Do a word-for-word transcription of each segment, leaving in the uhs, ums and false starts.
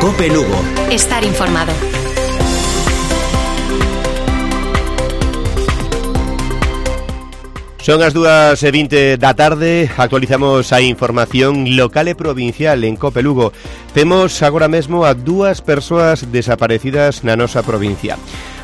COPE Lugo. Estar informado. Son as dúas e vinte da tarde, actualizamos a información local e provincial en COPE Lugo. Temos agora mesmo a dúas persoas desaparecidas na nosa provincia.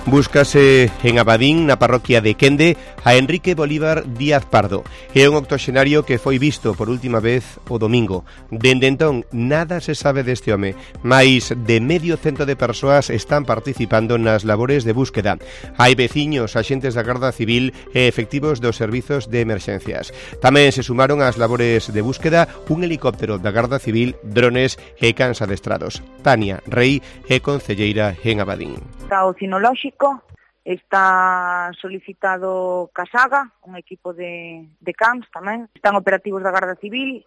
Búscase en Abadín, na parroquia de Quende, a Enrique Bolívar Díaz Pardo. É un octoxenario que foi visto por última vez o domingo. Dende entón, nada se sabe deste home. Mais de medio cento de persoas están participando nas labores de búsqueda. Hai veciños, axentes da Garda Civil e efectivos dos servizos de emerxencias. Tamén se sumaron ás labores de búsqueda un helicóptero da Garda Civil, drones e cans adestrados. Tania Rei é concelleira en Abadín. Está o cinolóxico, está solicitado Casaga, un equipo de, de cans tamén. Están operativos da Garda Civil,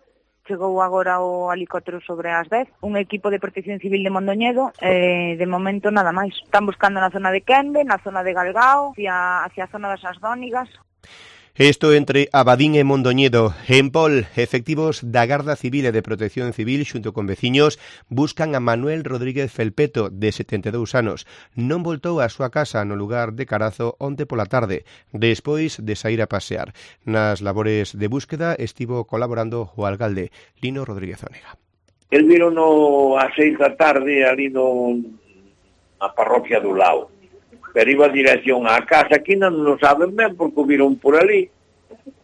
chegou agora o helicóptero sobre as dez, un equipo de protección civil de Mondoñedo, e de momento nada máis. Están buscando na zona de Quende, na zona de Galgao, hacia, hacia a zona das Asdónigas. Isto entre Abadín e Mondoñedo. En Pol, efectivos da Garda Civil e de Protección Civil xunto con veciños buscan a Manuel Rodríguez Felpeto, de setenta e dous anos. Non voltou á súa casa no lugar de Carazo onte pola tarde, despois de saír a pasear. Nas labores de búsqueda estivo colaborando o alcalde Lino Rodríguez Onega. El viro no a seis da tarde ali no a parroquia do Lao. Pero iba a dirección á casa, aquí non nos saben ben porque o viron por ali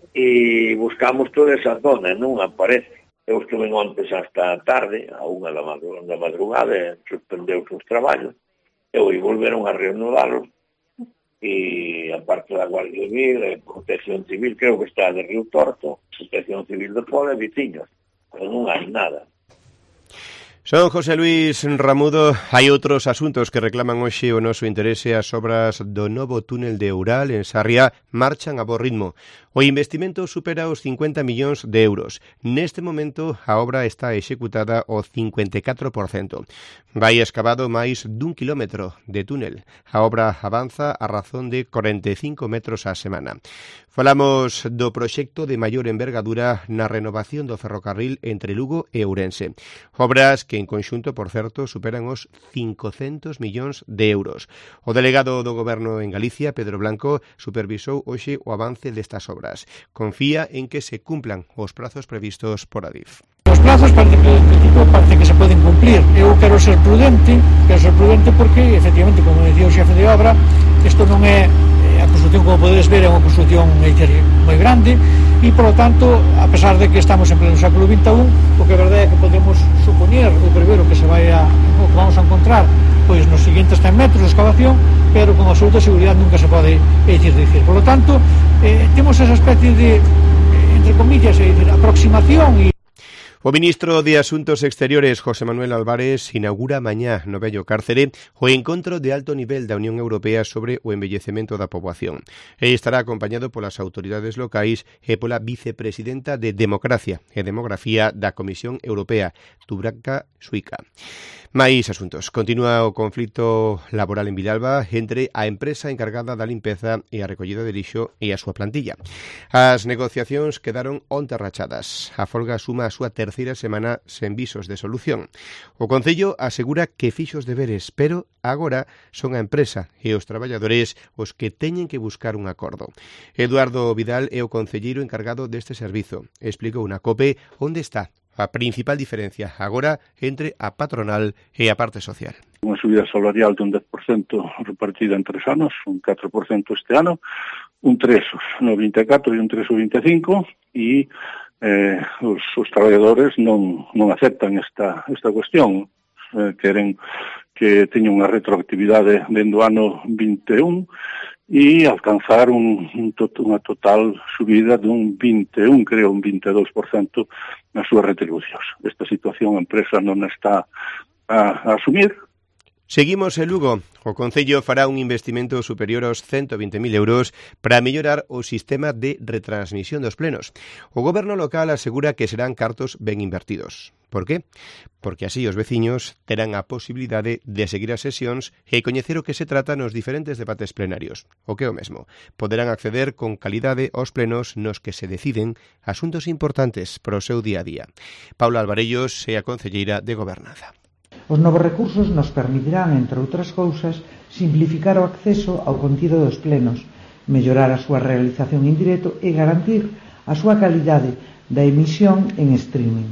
e buscamos toda esa zona, non aparece. Eu estuve ontes hasta tarde, a unha da madrugada, e suspendeu os traballos, e hoy volveron a reanudalos, e a parte da Guardia Civil e Protección Civil, creo que está de Río Torto, Protección Civil de Pola e veciños, pero non hai nada. Son José Luis Ramudo. Hai outros asuntos que reclaman hoxe o noso interese. As obras do novo túnel de Oural en Sarria marchan a bo ritmo. O investimento supera os cincuenta millóns de euros. Neste momento a obra está executada ao cincuenta e catro por cento. Vai escavado máis dun kilómetro de túnel. A obra avanza a razón de corenta e cinco metros á semana. Falamos do proxecto de maior envergadura na renovación do ferrocarril entre Lugo e Ourense. Obras que en conxunto, por certo, superan os cincocentos millóns de euros. O delegado do Goberno en Galicia, Pedro Blanco, supervisou hoxe o avance destas obras. Confía en que se cumplan os prazos previstos por Adif. Os plazos parece que, parece que se poden cumplir. Eu quero ser prudente, quero ser prudente porque, efectivamente, como decía o xefe de obra, isto non é a construcción, como podedes ver, é unha construcción moi grande e, por lo tanto, a pesar de que estamos en pleno século vinte e un, o que é verdade é que podemos supoñer ou prever o que se vai a, o que vamos a encontrar pois nos seguintes cen metros de excavación, pero con absoluta seguridade nunca se pode dicir dicir. Por lo tanto, eh, temos esa especie de, entre comillas, é dicir, aproximación e O ministro de Asuntos Exteriores, José Manuel Álvarez, inaugura mañá no vello Cárcere o encontro de alto nivel da Unión Europea sobre o envellecemento da poboación. E estará acompañado polas autoridades locais e pola vicepresidenta de Democracia e Demografía da Comisión Europea, Dubravka Šuica. Mais asuntos. Continúa o conflito laboral en Vilalba entre a empresa encargada da limpeza e a recollida de lixo e a súa plantilla. As negociacións quedaron onte rachadas. A folga suma a súa terceira semana sen visos de solución. O Concello asegura que fixo os deberes, pero agora son a empresa e os traballadores os que teñen que buscar un acordo. Eduardo Vidal é o concelleiro encargado deste servizo. Explicou na COPE onde está a principal diferencia agora entre a patronal e a parte social. Unha subida salarial dun dez por cento repartida en tres anos, un catro por cento este ano, un tres no vinte e catro e un tres no vinte e cinco, e eh, os, os traballadores non, non aceptan esta, esta cuestión. Eh, queren que teña unha retroactividade dentro do ano vinte e un e alcanzar un, un to, unha total subida dun vinte e un, creo, un vinte e dous por cento nas súas retribucións. Esta situación a empresa non está a, a asumir. Seguimos en Lugo. O Concello fará un investimento superior aos ciento vinte mil euros para mellorar o sistema de retransmisión dos plenos. O Goberno local asegura que serán cartos ben invertidos. Por qué? Porque así os veciños terán a posibilidade de seguir as sesións e coñecer o que se trata nos diferentes debates plenarios. O que é o mesmo. Poderán acceder con calidade aos plenos nos que se deciden asuntos importantes para o seu día a día. Paula Alvarellos é a concelleira de Gobernanza. Os novos recursos nos permitirán, entre outras cousas, simplificar o acceso ao contido dos plenos, mellorar a súa realización en directo e garantir a súa calidade da emisión en streaming.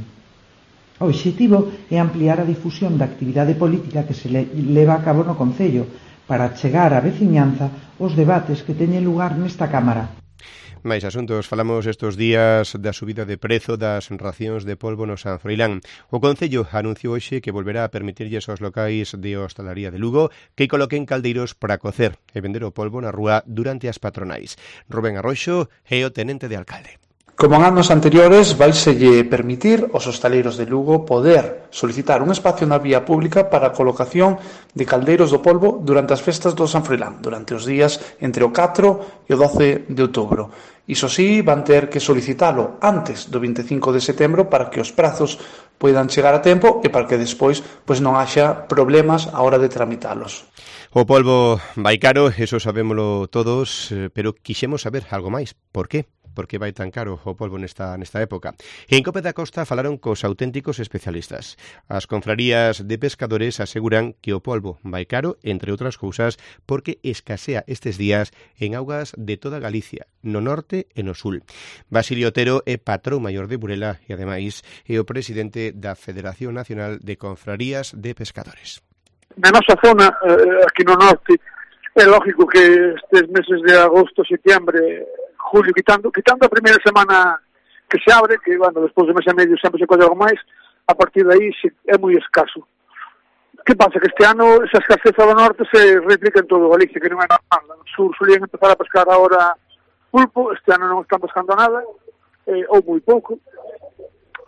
O obxectivo é ampliar a difusión da actividade política que se leva a cabo no Concello para chegar á veciñanza os debates que teñen lugar nesta Cámara. Máis asuntos, falamos estes días da subida de prezo das racións de polvo no San Froilán. O Concello anunciou hoxe que volverá a permitirlles aos locais de hostalaría de Lugo que coloquen caldeiros para cocer e vender o polvo na rúa durante as patronais. Rubén Arroxo é o tenente de alcalde. Como en anos anteriores, vaiselle permitir aos hostaleiros de Lugo poder solicitar un espacio na vía pública para a colocación de caldeiros do polvo durante as festas do San Froilán, durante os días entre o catro e o doce de outubro. Iso sí, van ter que solicitalo antes do vinte e cinco de setembro para que os prazos poidan chegar a tempo e para que despois pois non haxa problemas a hora de tramitalos. O polvo vai caro, eso sabémolo todos, pero quixemos saber algo máis. Por qué? Por que vai tan caro o polvo nesta, nesta época? E en Cope da Costa falaron cos auténticos especialistas. As confrarías de pescadores aseguran que o polvo vai caro, entre outras cousas, porque escasea estes días en augas de toda Galicia, no norte e no sul. Basilio Otero é patrón maior de Burela e, ademais, é o presidente da Federación Nacional de Confrarías de Pescadores. Na nosa zona, eh, aquí no norte, é lógico que estes meses de agosto, setembro, julio, quitando, quitando a primeira semana que se abre, que, bueno, despois de mes e medio sempre se colle algo máis, a partir de aí é moi escaso. Que pasa? Que este ano esa escaseza do norte se replica en todo Galicia, que non é normal. No sur solían empezar a pescar agora pulpo, este ano non están pescando nada, eh, ou moi pouco,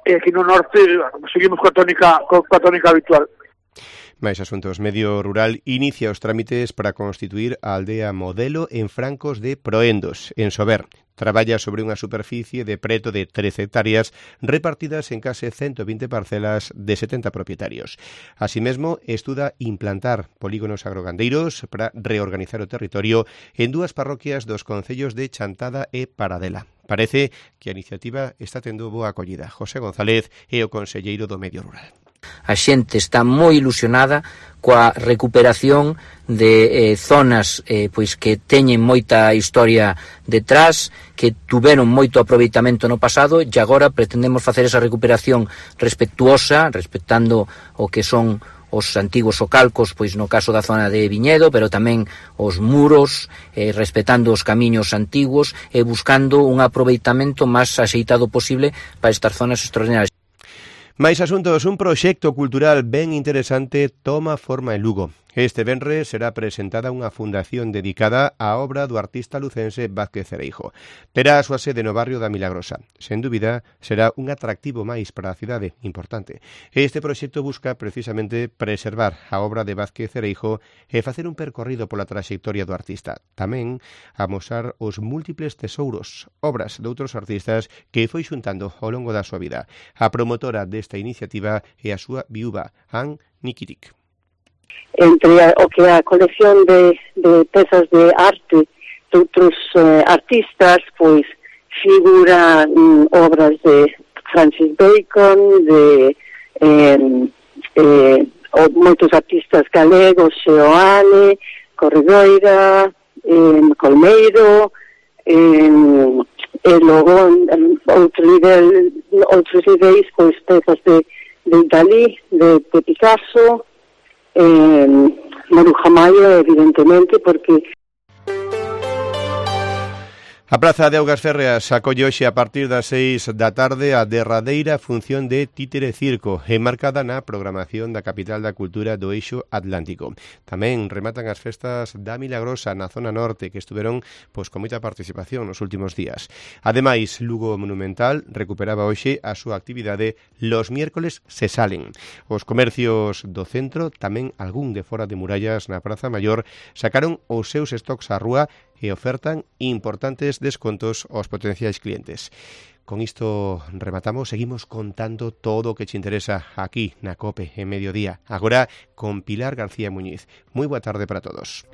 e aquí no norte, bueno, seguimos coa tónica, coa tónica habitual. Máis asuntos. Medio Rural inicia os trámites para constituir a aldea modelo en francos de Proendos, en Sober. Traballa sobre unha superficie de preto de trece hectáreas repartidas en case ciento vinte parcelas de setenta propietarios. Así mesmo, estuda implantar polígonos agrogandeiros para reorganizar o territorio en dúas parroquias dos concellos de Chantada e Paradela. Parece que a iniciativa está tendo boa acollida. José González é o conselleiro do Medio Rural. A xente está moi ilusionada coa recuperación de eh, zonas eh, pois que teñen moita historia detrás, que tuveron moito aproveitamento no pasado e agora pretendemos facer esa recuperación respetuosa, respectando o que son os antigos socalcos, pois no caso da zona de Viñedo, pero tamén os muros, eh, respetando os camiños antigos e buscando un aproveitamento máis axeitado posible para estas zonas extraordinarias. Máis asuntos, un proxecto cultural ben interesante toma forma en Lugo. Este venres será presentada unha fundación dedicada á obra do artista lucense Vázquez Cereijo. Terá a súa sede no barrio da Milagrosa. Sen dúbida, será un atractivo máis para a cidade, importante. Este proxecto busca precisamente preservar a obra de Vázquez Cereijo e facer un percorrido pola traxectoria do artista. Tamén amosar os múltiples tesouros, obras de outros artistas que foi xuntando ao longo da súa vida. A promotora desta iniciativa é a súa viúva, Ann Nikitic. Entre a, o que é a colección de, de pezas de arte de outros eh, artistas, pois figura mm, obras de Francis Bacon, de eh, eh, moitos artistas galegos, Seoane, Corredoira, eh, Colmeiro, eh, e logo outro nivel, outros niveis, pois pezas de, de Dalí, de, de Picasso, Eh, Maruja Mayo, evidentemente, porque A Praza de Augas Férreas acolle hoxe a partir das seis da tarde a derradeira función de Títere Circo, enmarcada na programación da capital da cultura do Eixo Atlántico. Tamén rematan as festas da Milagrosa na zona norte, que estuveron pois, con moita participación nos últimos días. Ademais, Lugo Monumental recuperaba hoxe a súa actividade Los miércoles se salen. Os comercios do centro, tamén algún de fora de murallas na Praza Maior, sacaron os seus stocks á rúa e ofertan importantes descontos aos potenciais clientes. Con isto rematamos, seguimos contando todo o que te interesa aquí na COPE en Mediodía. Agora con Pilar García Muñiz. Moi boa tarde para todos.